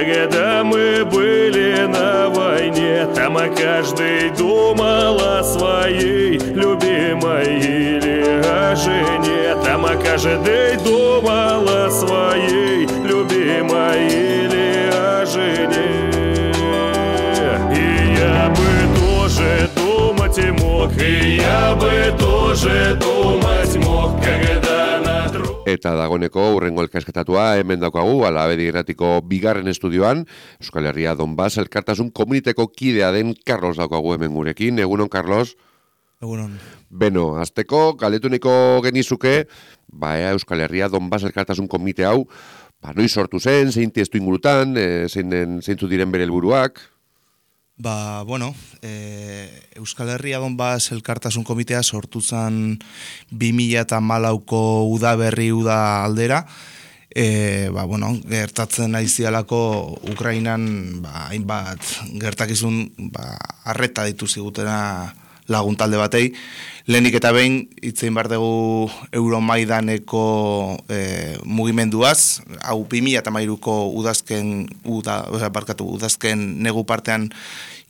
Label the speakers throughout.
Speaker 1: когда мы были на войне, там каждый думал о своей любимой или о жене. Там каждый думал о своей любимой или о жене. И я бы тоже думать мог, и я бы тоже думать мог, когда на друг...
Speaker 2: Eta dagoneko urrengo elkarrizketatua hemen daukagu, Alabedi Irratiko bigarren estudioan, Euskal Herria Donbas elkartasun komuniteko kidea den Carlos daukagu hemen gurekin. Egunon, Carlos?
Speaker 3: Egunon.
Speaker 2: Beno, azteko, galetuniko genizuke, Euskal Herria Donbas elkartasun komite hau, noiz sortu zen, zein testu ingurutan, zeintzu diren bere helburuak?
Speaker 3: Euskal Herria Donbas elkartasun komitea sortu zen 2014ko udaberri uda aldera. Gertatzen aizialako Ukrainan hainbat gertakizun arreta ditu zigutena lagun talde batei. Lehenik eta behin hitzein behar dugu Euromaidaneko mugimenduaz, hau 2013ko udazken negu partean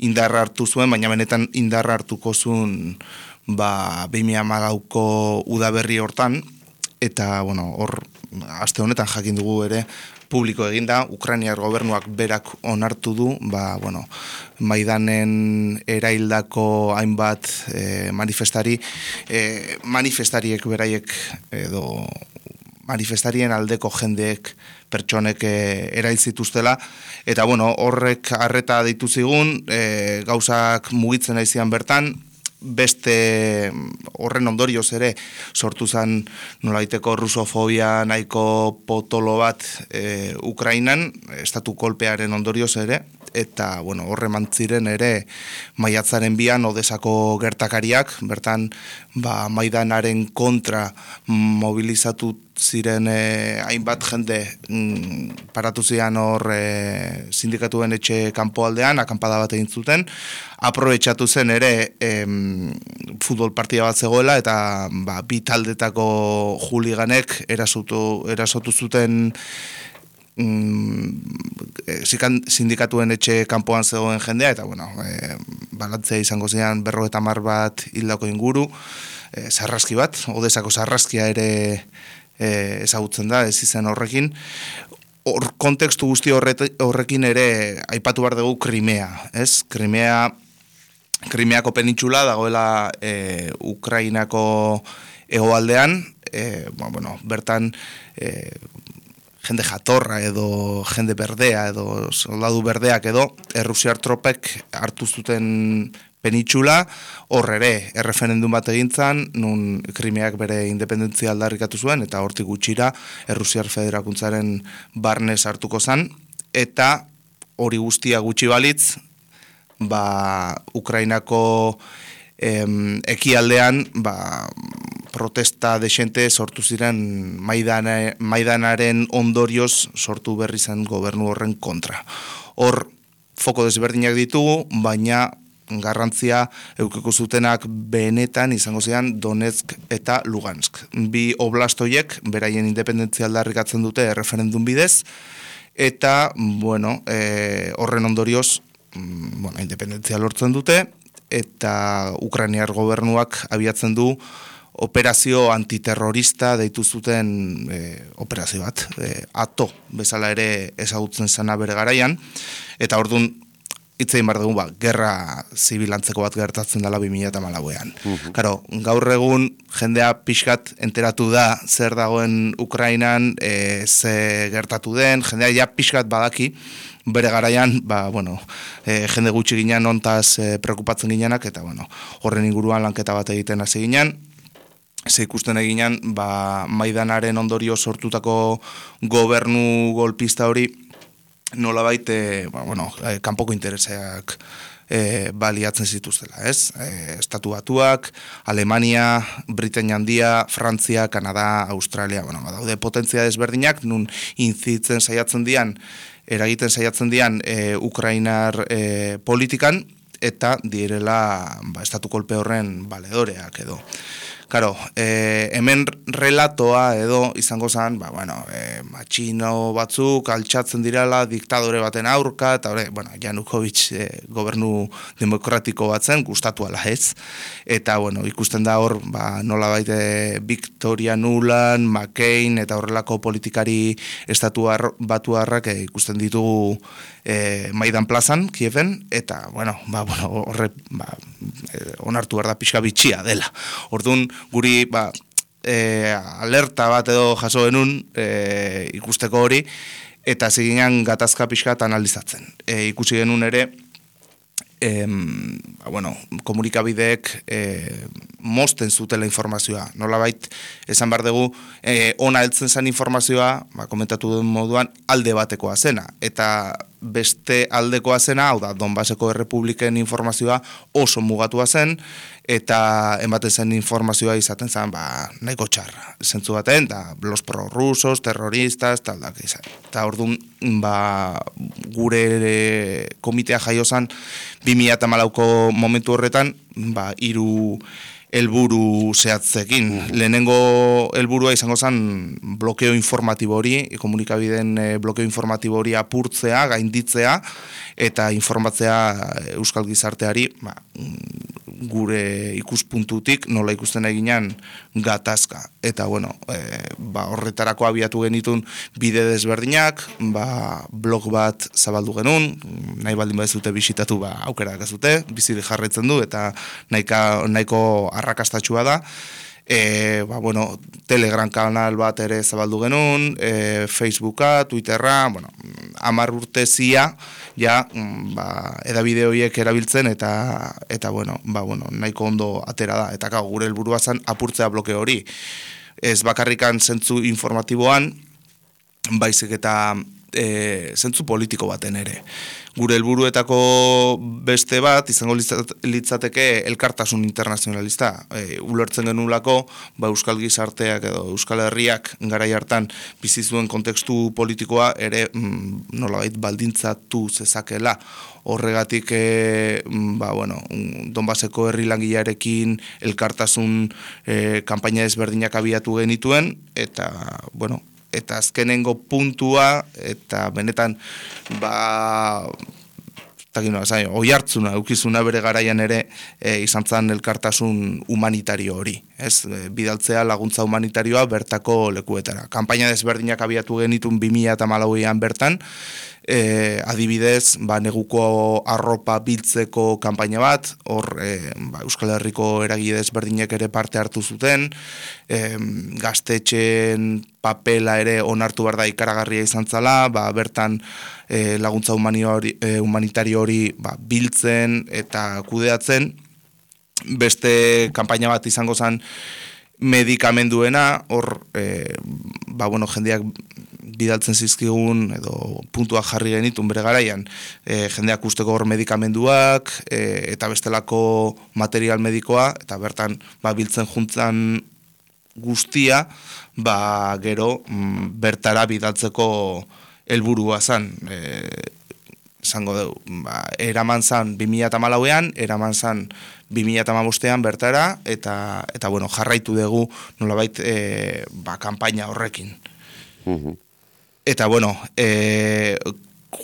Speaker 3: indarra hartu zuen, baina benetan indarra hartuko zuen 2014ko udaberri hortan, eta hor aste honetan jakin dugu ere publiko eginda, Ukrainiar gobernuak berak onartu du, Maidanen eraildako hainbat manifestariek beraiek edo manifestarien aldeko jendeek pertsonek erail zituztela, eta horrek arreta deitu zigun, gauzak mugitzen aizian bertan, beste horren ondorioz ere sortu zen nolaiteko rusofobia nahiko potolo bat Ukrainan, estatu kolpearen ondorioz ere, eta horre mantziren ere maiatzaren 2an Odesako gertakariak, bertan Maidanaren kontra mobilizatu ziren hainbat jende paratu zian hor sindikatuen etxe kanpoaldean, akanpada bat egin zuten, aprobetxatu zen ere futbol partida bat zegoela, eta bi taldetako juliganek erasotu zuten sindikatuen etxe kanpoan zegoen jendea, eta balantzea izango zian 50 bat hildako inguru, sarraski bat, Odesako sarraskia ere ezagutzen da, ez izan horrekin. Kontekstu guzti horrekin ere aipatu behar dugu Krimea, ez? Krimeako penintxula dagoela Ukrainako hegoaldean, bertan jende jatorra edo jende berdea edo soldadu berdeak edo errusiar tropek hartu zuten penintxula, hor ere erreferendum bat egintzan, nun Krimeak bere independentzia aldarrikatu zuen, eta hortik gutxira Errusiar Federakuntzaren barnez hartuko zen, eta hori guztia gutxi balitz, Ukrainako ekialdean protesta desente sortu ziren Maidanaren ondorioz sortu berri zen gobernu horren kontra. Hor foko desberdinak ditugu, baina garrantzia eukiko zutenak benetan izango zian Donetsk eta Lugansk. Bi oblastoiek beraien independentzia aldarrikatzen dute referendum bidez, eta horren ondorioz independentzia lortzen dute, eta Ukrainiar gobernuak abiatzen du operazio antiterrorista deitu zuten operazio bat, ATO bezala ere ezagutzen zena bere garaian, eta orduan hitzein behar dugu, gerra zibilantzeko bat gertatzen dela 2014an. Karo, gaur egun jendea pixkat enteratu da zer dagoen Ukrainan, ze gertatu den, jendea ja pixkat badaki, bere garaian, jende gutxi ginen ontaz preokupatzen ginenak, eta horren inguruan lanketa bat egiten hasi ginen, ze ikusten eginan, Maidanaren ondorio sortutako gobernu golpista hori, nolabait, kanpoko interesak baliatzen zituztela, ez? Estatu Batuak, Alemania, Britainia Handia, Frantzia, Kanada, Australia, daude potentzia desberdinak, nun inzitzen saiatzen dian, eragiten saiatzen dian Ukrainar politikan, eta direla estatu kolpe horren baledoreak edo. Karo, hemen relatoa edo izango zen, matxino batzuk altxatzen direla diktadore baten aurka, eta Janukovic gobernu demokratiko batzen, gustatu ala ez. Eta, ikusten da hor, nola baite Victoria Nuland, McCain, eta horrelako politikari batuarrak ikusten ditugu Maidan plazan, Kieven, eta, onartu behar da pixka bitxia dela. Orduan, guri, alerta bat edo jaso genuen ikusteko hori, eta ziginan gatazka pixka analizatzen. Ikusi genuen ere, komunikabideek mosten zutela informazioa. Nolabait, esan behar dugu, ona heltzen zen informazioa, komentatu duen moduan, alde batekoa zena. Eta beste aldekoa zena, hau da, Donbaseko Errepubliken informazioa oso mugatua zen, eta ematen zen informazioa izaten zen, nahiko txarra. Zentzu baten, los prorrusos, terroristas, taldak izan. Eta orduan, gure komitea jaio zen, 2014ko momentu horretan, 3 helburu zehatzekin. Lehenengo helburua izango zen blokeo informatibo hori, komunikabideen blokeo informatibo hori apurtzea, gainditzea, eta informatzea euskal gizarteari, gure ikuspuntutik nola ikusten eginan gatazka. Eta, horretarako abiatu genitun bide desberdinak, blog bat zabaldu genuen, nahi baldin badezute bisitatu aukera dakazute, bizi jarraitzen du, eta nahiko arrakastatxua da. Telegram kanal bat ere zabaldu genuen, Facebooka, Twitterra, 10 urte zia, edabide horiek erabiltzen, eta nahiko ondo atera da. Eta gure helburua zen apurtzea bloke hori. Ez bakarrikan zentzu informatiboan, baizik eta zentzu politiko baten ere. Gure helburuetako beste bat, izango litzateke elkartasun internazionalista. Ulertzen genulako, euskal gizarteak edo euskal herriak garai hartan bizi zuen kontekstu politikoa ere nolabait baldintzatu zezakela. Horregatik, Donbaseko herri langilearekin elkartasun kanpaina ezberdinak abiatu genituen, eta, eta azkenengo puntua, eta benetan, oihartzuna, eukizuna bere garaian ere, izan zen elkartasun humanitario hori. Bidaltzea laguntza humanitarioa bertako lekuetara. Kanpaina desberdinak abiatu genitun 2014an bertan, adibidez, neguko arropa biltzeko kanpaina bat, hor Euskal Herriko eragile desberdinak ere parte hartu zuten, gaztetxeen papela ere onartu behar da ikaragarria izan zala, bertan laguntza humanitario hori biltzen eta kudeatzen. Beste kanpaina bat izango zen medikamenduena, hor jendeak bidaltzen zizkigun edo puntuak jarri genitun bere garaian, jendeak usteko hor medikamenduak eta bestelako material medikoa, eta bertan biltzen juntzan guztia, gero bertara bidaltzeko helburua zan. Zango dugu, eraman zan 2014an, eraman zan 2015an bertara, eta jarraitu dugu nolabait kanpaina horrekin. Eta,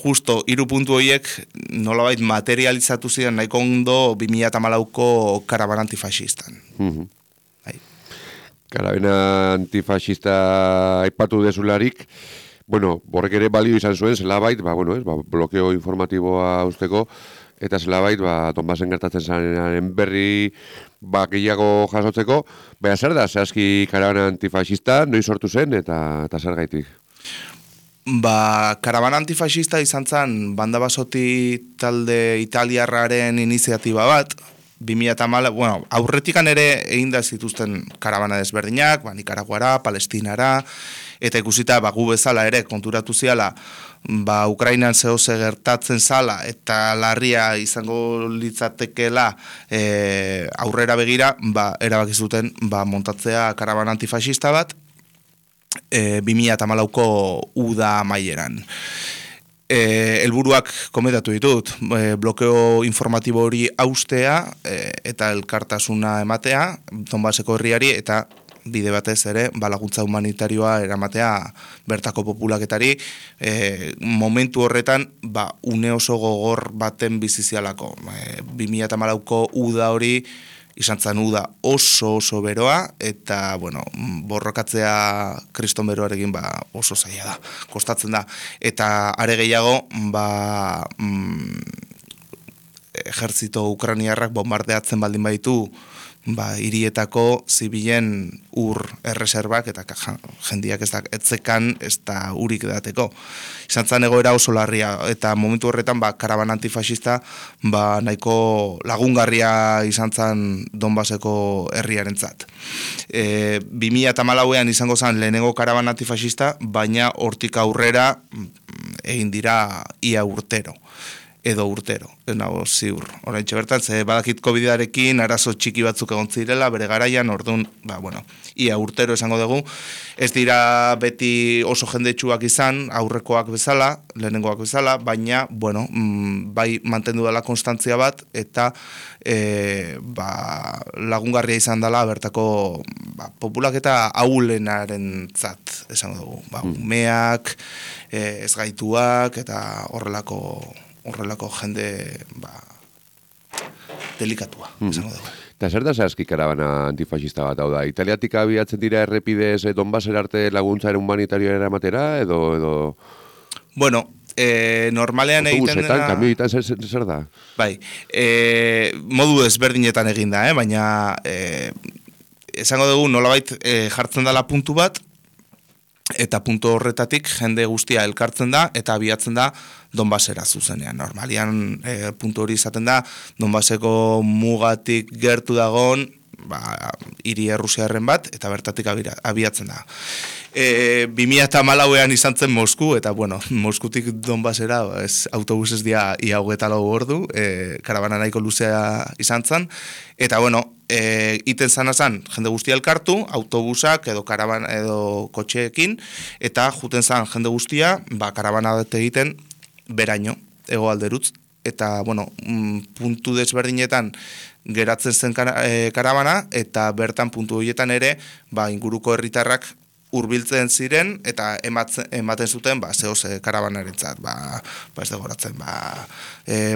Speaker 3: justo 3 puntu horiek nolabait materializatu ziren nahiko ondo 2014ko karabana antifascistan.
Speaker 2: Karabana antifascista aipatu dezularik, borrek ere balio izan zuen, zelabait, blokeo informatiboa usteko, eta zelabait, Donbasen gertatzen zanaren berri gehiago jasotzeko, zer da, zehazki karabana antifascista, noiz sortu zen, eta zer gaitik?
Speaker 3: Karabana antifascista izan zen, Banda Basoti talde italiarraren iniziatiba bat, 2014, aurretikan ere egin da zituzten karabana desberdinak, Nikaraguara, Palestinara, eta ikusita gu bezala ere konturatu ziala, Ukrainan zehose gertatzen zala, eta larria izango litzatekela aurrera begira, erabaki zuten montatzea karabana antifascista bat, 2014ko uda amaieran. helburuak komentatu ditut, blokeo informatibo hori haustea eta elkartasuna ematea Donbaseko herriari eta bide batez ere, laguntza humanitarioa eramatea bertako populaketari, momentu horretan, une oso gogor baten bizizialako. 2014ko uda hori, izan zen uda oso beroa, eta, borrokatzea kriston beroarekin oso zaila da, kostatzen da. Eta are gehiago, ejertzito ukraniarrak bombardeatzen baldin baditu, hirietako zibilen ur erreserbak eta jendiak etzekan ez da urik dateko. Izan zen egoera oso larria eta momentu horretan karaban antifasista nahiko lagungarria izan zen Donbaseko herriarentzat. 2014an izango zen lehenengo karaban antifasista, baina hortik aurrera egin dira ia urtero. Edo urtero, nago ziur. Oraintxe bertan, badakit COVID-arekin arazo txiki batzuk egon zirela, bere garaian, orduan, ia urtero esango dugu. Ez dira beti oso jendetsuak izan, aurrekoak bezala, lehenengoak bezala, baina, bai mantendu dela konstantzia bat, eta lagungarria izan dela bertako populaketa ahulenaren zat, esango dugu. Umeak, ezgaituak, eta horrelako jende delikatua, esango dugu.
Speaker 2: Eta zer da zehazki karabana antifasista bat, hau da? Italiatik abiatzen dira errepidez Donbaser arte laguntza humanitarioa eramatera, edo...
Speaker 3: Normalean egiten dena...
Speaker 2: Autobusetan, kamioetan zer da?
Speaker 3: Bai, modu ezberdinetan egin da, baina esango dugu nolabait jartzen dela puntu bat, eta puntu horretatik jende guztia elkartzen da eta abiatzen da Donbasera zuzenean. Normalian puntu hori izaten da Donbaseko mugatik gertu dagoen hiri errusiarren bat eta bertatik abiatzen da. 2014an izan zen Mosku eta Moskutik Donbasera autobusez dia ia 24 ordu, karabana nahiko luzea izan zen eta iten zan jende guztia elkartu, autobusak edo karabana edo kotxeekin, eta juten zan jende guztia, karabana bat egiten beraino, hegoalderutz, eta, puntu desberdinetan geratzen zen karabana, eta bertan puntu horietan ere, inguruko herritarrak hurbiltzen ziren, eta ematen zuten, zehoz karabanarentzat, ez degoratzen,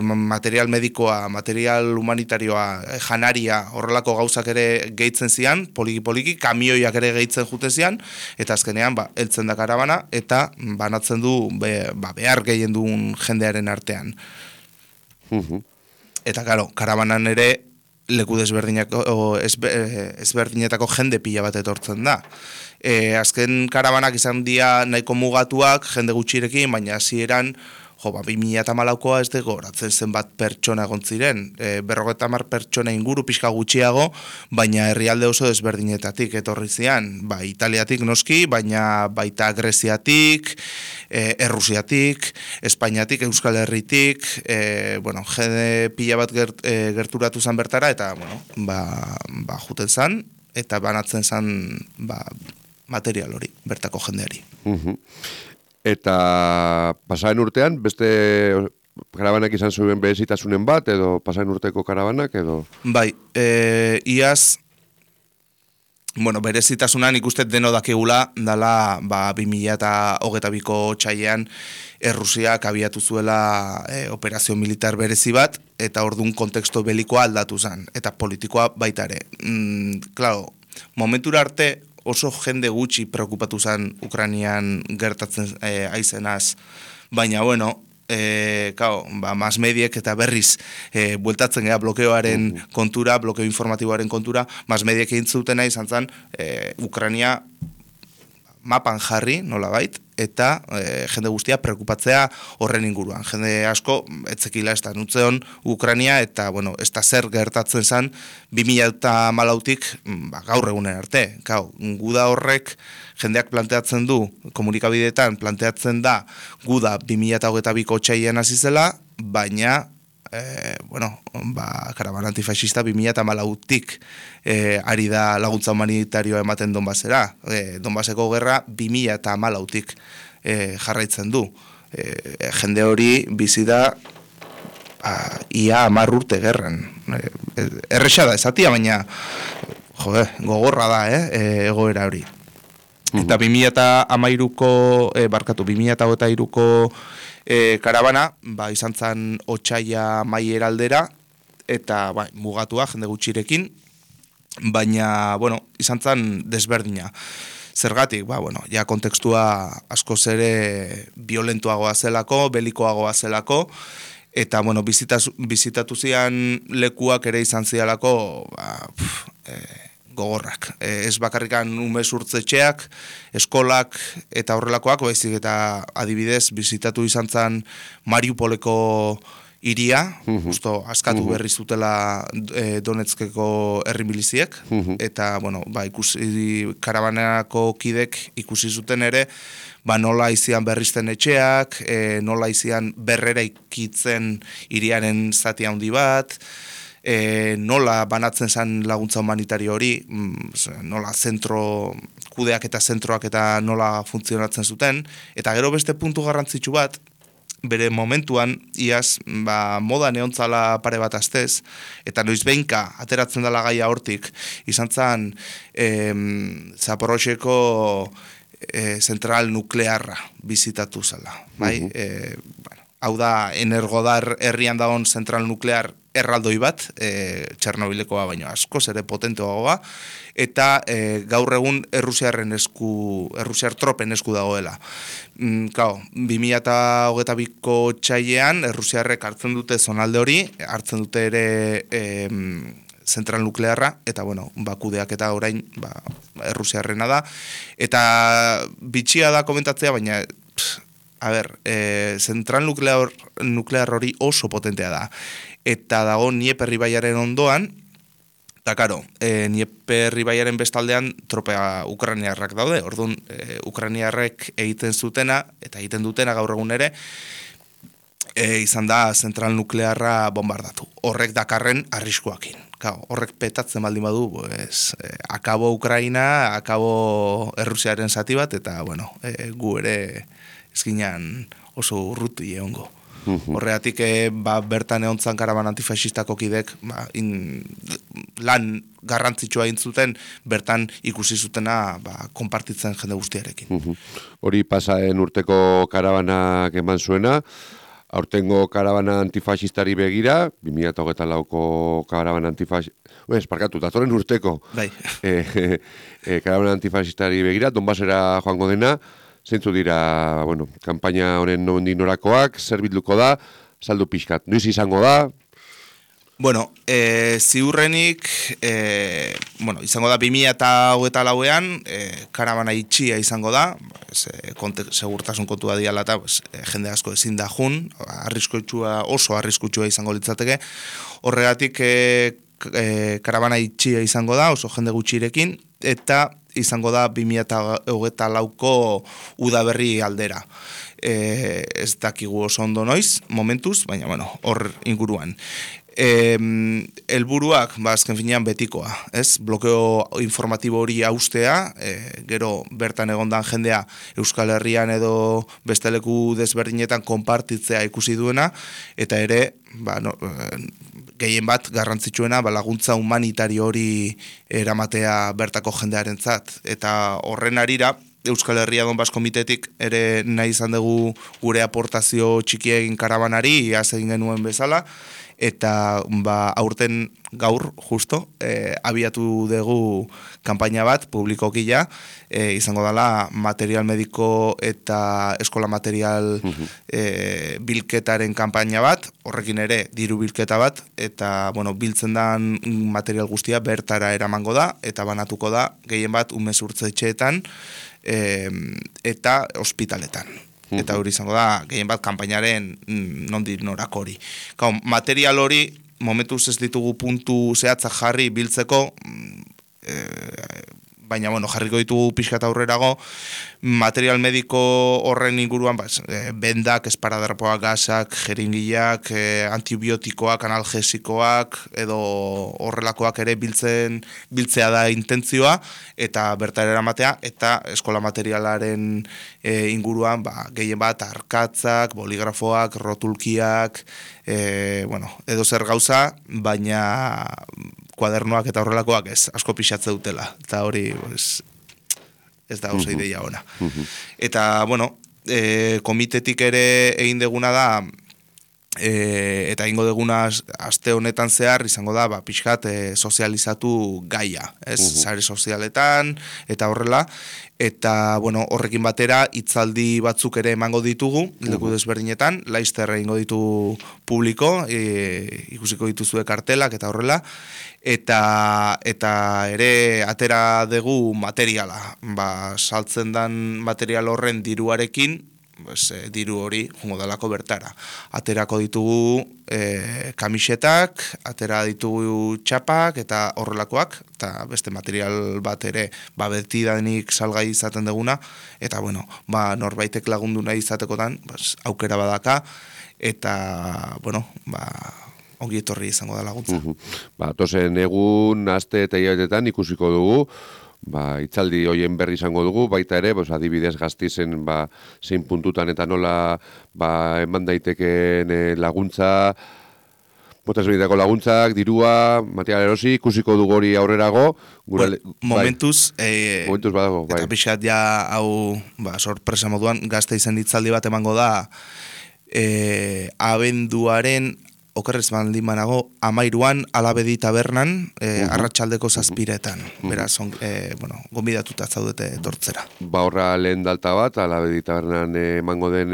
Speaker 3: material medikoa, material humanitarioa, janaria, horrelako gauzak ere gehitzen zian, poliki, kamioiak ere gehitzen juten zian, eta azkenean, heltzen da karabana, eta banatzen du, behar gehien duen jendearen artean. Eta, karabanan ere, leku ezberdinetako jende pila bat etortzen da. Azken karabanak izan dira nahiko mugatuak, jende gutxirekin, baina hasieran 2014koa ez dugu horatzen zenbat pertsona egon ziren. 50 pertsona inguru pixka gutxiago, baina herrialde oso desberdinetatik etorri zian. Italiatik noski, baina baita Greziatik, Errusiatik, Espainiatik, Euskal Herritik, jende pila bat gerturatu zen bertara, eta juten zen, eta banatzen zen material hori, bertako jendeari.
Speaker 2: Eta pasaren urtean, beste karabanak izan zuen berezitasunen bat, edo pasaren urteko karabanak, edo?
Speaker 3: Bai, iaz, berezitasunan ikusten deno dakigula, dala 2022ko txailean Errusiak abiatu zuela operazio militar berezi bat, eta orduan konteksto belikoa aldatu zen, eta politikoa baita ere. Claro, momentura arte, oso jende gutxi preokupatu zen Ukrainian gertatzen aizenaz, baina mas mediek eta berriz bueltatzen gara blokeoaren kontura, blokeo informatiboaren kontura, mas mediek egin zutena izan zen Ukrainia mapan jarri, nolabait, eta jende guztia preokupatzea horren inguruan. Jende asko, etzekila ez da nutzeon Ukrainia, eta, ez da zer gertatzen zen 2014tik gaur egunen arte. Guda horrek jendeak planteatzen du, komunikabideetan planteatzen da, guda 2022ko txailean hasi zela, baina karabana antifascista 2014tik ari da laguntza humanitarioa ematen Donbasera. Donbaseko gerra 2014tik jarraitzen du. jende hori bizi da ia 10 urte gerran. Erresa da esatia, baina gogorra da, egoera hori. Eta 2013ko, 2023ko karabana, izan zen otsaila Maier aldera, eta mugatua jende gutxirekin, baina, izan zen desberdina. Zergatik, ja kontekstua askoz ere violentuagoa zelako, belikoagoa zelako, eta, bizitatu zian lekuak ere izan zialako, gogorrak. Ez bakarrikan umezurtzetxeak, eskolak eta horrelakoak, baizik eta adibidez bizitatu izan zen Mariupoleko iria, justo askatu berri zutela Donetskeko herri miliziek, eta, ikusi karabanako kidek ikusi zuten ere, nola izian berrizten etxeak, nola izian berrera ikitzen iriaren zati handi bat, nola banatzen zen laguntza humanitario hori, nola kudeak eta zentroak eta nola funtzionatzen zuten, eta gero beste puntu garrantzitsu bat, bere momentuan, iaz, moda neontzala pare bat astez, eta noiz behinka ateratzen dela gaia hortik, izan zen Zaporozheko zentral nuklearra bizitatu zela, bai? Hau da, Energodar herrian dagoen zentral nuklear erraldoi bat, Txernobilekoa baino askoz ere potenteagoa, eta gaur egun Errusiar tropen esku dagoela. 2022ko otsailean Errusiarrek hartzen dute zonalde hori, hartzen dute ere zentral nuklearra, eta kudeak eta orain Errusiarrena da, eta bitxia da komentatzea, baina zentral nuklear hori oso potentea da. Eta dago Dnieper ibaiaren ondoan, eta karo, Dnieper ibaiaren bestaldean tropea ukrainiarrak daude. Orduan, ukrainiarrek egiten zutena, eta egiten dutena gaur egun ere, izan da zentral nuklearra bombardatu. Horrek dakarren arriskuakin. Horrek petatzen baldin badu, akabo Ukraina, akabo Errusiaren zati bat, eta gu ere ezkinan oso urruti egongo. Horregatik bertan egontzan karaban antifaxistako kidek lan garrantzitsua egin zuten, bertan ikusi zutena konpartitzen jende guztiarekin.
Speaker 2: Hori pasaen urteko karabanak eman zuena, aurtengo karabana antifaxistari begira, 2024ko karabana datorren urteko karabana antifaxistari begira, Donbasera joango dena, zeintzu dira, kanpaina honen nondik norakoak, zer bilduko da, saldu pixkat. Noiz izango da?
Speaker 3: Ziurrenik, izango da 2024an, karabana itxia izango da, segurtasun kontua diala eta jende asko ezin da jun, oso arriskutsua izango litzateke. Horregatik karabana itxia izango da, oso jende gutxirekin, eta izango da 2024ko udaberri aldera. Ez dakigu oso ondo noiz, momentuz, baina hor inguruan. Helburuak, azken finean betikoa, ez? Blokeo informatibo hori haustea, gero bertan egondan jendea Euskal Herrian edo beste leku desberdinetan konpartitzea ikusi duena, eta ere, gehien bat garrantzitsuena laguntza humanitario hori eramatea bertako jendearentzat, eta horren arira Euskal Herria Donbas Komitetik ere nahi izan dugu gure aportazio txiki egin karabanari, iaz egin genuen bezala, eta aurten gaur, justo, abiatu dugu kanpaina bat, publikokila, izango dela material mediko eta eskola material bilketaren kanpaina bat, horrekin ere diru bilketa bat, eta biltzen den material guztia bertara eramango da, eta banatuko da gehien bat umezurtzetxeetan eta ospitaletan. Eta hori izango da, gehien bat kanpainaren nondik norak hori. Material hori, momentuz ez ditugu puntu zehatzak jarri biltzeko, baina bueno, jarriko ditugu pixkat aurrerago, material mediko horren inguruan, bendak, esparadrapoak, gasak, jeringiak, antibiotikoak, analgesikoak, edo horrelakoak ere biltzea da intentzioa, eta bertara eramatea, eta eskola materialaren inguruan, gehien bat, arkatzak, boligrafoak, rotulkiak, edo zer gauza, baina kuadernoak eta horrelakoak ez, asko pixatze dutela, eta hori ez da oso ideia ona. Eta, komitetik ere egin deguna da, eta ingo deguna aste honetan zehar izango da, pixkat sozializatu gaia, ez? Sare sozialetan, eta horrela, eta, horrekin batera, hitzaldi batzuk ere emango ditugu, leku desberdinetan, Laster egingo ditu publiko, ikusiko dituzue kartelak, eta horrela, eta ere atera dugu materiala, saltzen dan material horren diruarekin, diru hori jongo dalako bertara. Aterako ditugu kamisetak, atera ditugu txapak eta horrelakoak, eta beste material bat ere beti danik salgai izaten deguna, eta norbaitek lagundu nahi izatekotan aukera badaka, eta ongi etorri izango da laguntza.
Speaker 2: Tozen egun, aste eta hilabetetan ikusiko dugu, itzaldi hoien berri izango dugu, baita ere, adibidez Gasteizen zein puntutan eta nola eman daiteken laguntza, potesbideko laguntzak, dirua, material erosi, ikusiko dugu hori aurrerago.
Speaker 3: Momentuz,
Speaker 2: momentuz badago,
Speaker 3: eta pixat ja hau sorpresa moduan, Gasteizen itzaldi bat emango da, abenduaren okerrez baldin banago, 13an Alabedi tabernan, arratsaldeko 7:00. Beraz, gonbidatuta zaudete etortzera.
Speaker 2: Horra lehen dalta bat, Alabedi tabernan emango den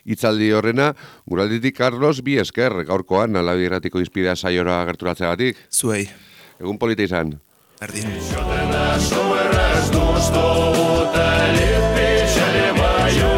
Speaker 2: hitzaldi horrena. Guralditik, Carlos, bi esker, gaurkoan, Alabedi Irratiko Hizpidea saiora gerturatzeagatik.
Speaker 3: Zuei.
Speaker 2: Egun polita izan.
Speaker 3: Berdin.
Speaker 1: Что ты нашел, раз, что утолит печали мою.